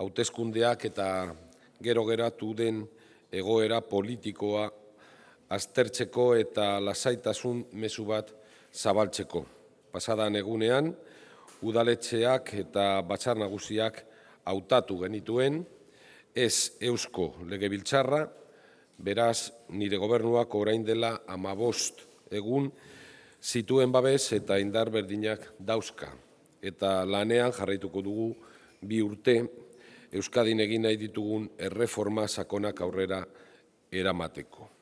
hauteskundeak eta gero geratu den egoera politikoa aztertzeko eta lasaitasun mezu bat zabaltzeko. Pasadan egunean, udaletxeak eta batzar nagusiak hautatu genituen, ez Eusko Legebiltzarra, beraz nire gobernuak orain dela 15 egun zituen babes eta indar berdinak dauzka. Eta lanean jarraituko dugu 2 urte Euskadin egin nahi ditugun erreforma sakonak aurrera eramateko.